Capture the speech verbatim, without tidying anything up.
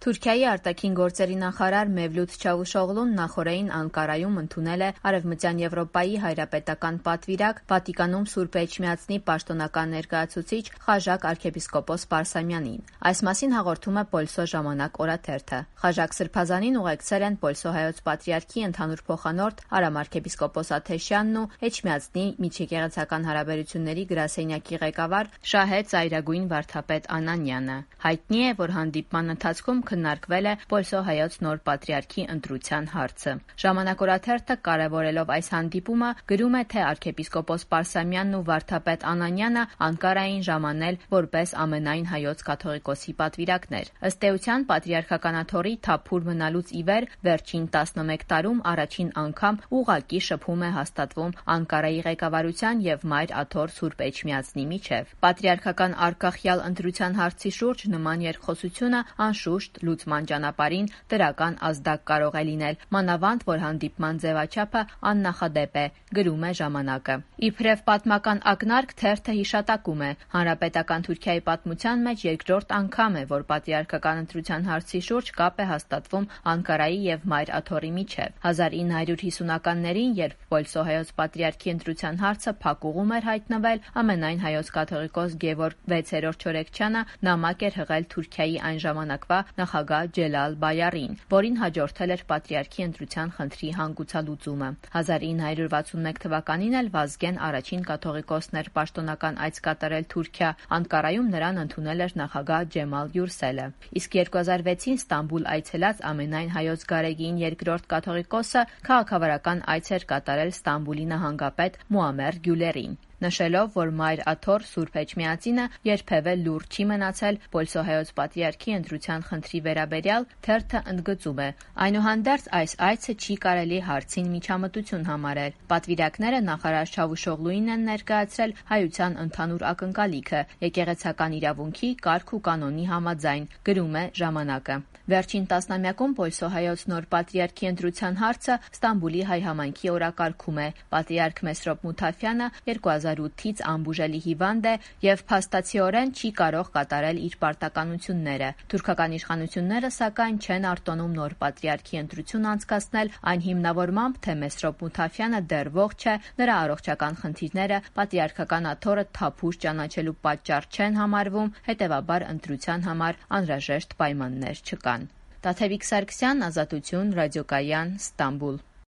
Թուրքիայի արտաքին գործերի նախարար Մևլութ Չավուշօղլուն նախօրեին Անկարայում ընդունել է Արևմտյան Եվրոպայի հայրապետական պատվիրակ Վատիկանում Սուրբ Էջմիածնի պաշտոնական ներկայացուցիչ Խաժակ arczepiskopos Պարսամյանին։ Այս մասին հաղորդում է Պոլսո ժամանակ օրաթերթը։ Խաժակ Սրբազանին ուղեկցել են Պոլսո հայոց պատրիարքի ընդհանուր փոխանորդ Արամ arczepiskopos Աթեշյանն ու Էջմիածնի միջեկեղեցական հարաբերությունների գրասենյակի ղեկավար Շահե ծայրագույն վարդապետ Անանյանը։ Հայտնի է, որ հանդիպման ընթացքում քննարկվել է Պոլսո հայոց նոր պատրիարքի ընտրության հարցը։ Ժամանակ օրաթերթը կարևորելով այս հանդիպումը գրում է, թե arczepiskopos Պարսամյանն ու վարդապետ Անանյանը Անկարային ժամանել որպես ամենայն հայոց կաթողիկոսի պատվիրակներ։ Ըստ էության պատրիարքականաթոռի թափուր մնալուց ի վեր վերջին տասնմեկ տարում առաջին անգամ ուղղակի շփում է հաստատվում Անկարայի ղեկավարության եւ Մայր Աթոռ Սուրբ Էջմիածնի միջև։ Պատրիարքական արկախյալ ընտրության հարցի շուրջ նման երկխոսությունը անշուշտ լուծման ճանապարհին դրական ազդակ կարող է լինել, մանավանդ որ հանդիպման ձևաչափը աննախադեպ է, գրում է ժամանակը։ Իբրև պատմական ակնարկ թերթը հիշատակում է, հանրապետական Թուրքիայի պատմության մեջ երկրորդ անգամ է, որ պատրիարքական ընտրության հարցի շուրջ կապ է հաստատվում Անկարայի եւ Մայր Աթոռի միջև։ հազար ինը հարյուր հիսունականներին, երբ Պոլսո հայոց պատրիարքի ընտրության հարցը փակուղում էր հայտնվել, ամենայն հայոց կաթողիկոս Գևորգ վեցերորդ Չորեքչյանը նամակ էր հղել Թուրքիայի այն ժամանակվա նախագահ Ջելալ Բայարին, որին հաջորդել էր պատրիարքի ընտրության խնդրի հանգուցալուծումը։ հազար ինը հարյուր վաթսունմեկ թվականին էլ Վազգեն առաջին կաթողիկոսն էր պաշտոնական այց կատարել Թուրքիա, Անկարայում նրան ընդունել էր նախագահ Ջեմալ Գյուրսելը։ Իսկ երկու հազար վեցին Ստամբուլ այցելած ամենայն հայոց գարեգին երկրորդ կաթողիկոսը քաղաքավարական այց էր կատարել Ստամբուլի նահանգապետ Մուամեր Գյուլերին, նշելով, որ Մայր Աթոռ Սուրբ Էջմիածինը երբևէ լուռ չի մնացել Պոլսո հայոց պատրիարքի ընտրության խնդրի վերաբերյալ, թերթը ընդգծում է. այնուհանդերձ այս այցը չի կարելի հարցին միջամտություն համարել։ Պատվիրակները նախարար Չավուշօղլուին են ներկայացրել հայության ընդհանուր ակնկալիքը եկեղեցական իրավունքի, կարգ ու կանոնի համաձայն, գրում է ժամանակը։ Վերջին տասնամյակում Պոլսո հայոց նոր պատրիարքի ընտրության հարցը Ստամբուլի հայ համայնքի օրակարգում է։ Պատրիարք Մեսրոպ Մութաֆյանը երկու հազար ութից անբուժելի հիվանդ է եւ փաստացիորեն չի կարող կատարել իր պարտականությունները։ Թուրքական իշխանությունները սակայն չեն արտոնում նոր պատրիարքի ընտրություն անցկացնել այն հիմնավորմամբ, թե Մեսրոպ Մութաֆյանը դեռ ողջ է, նրա առողջական խնդիրները պատրիարքական աթոռը թափուր ճանաչելու պատճառ չեն համարվում, հետեւաբար ընտրության համար անհրաժեշտ պայմաններ չկան։ Տաթևիկ Սարգսյան, Ազատություն, Ռադիոկայան, Ստամբուլ։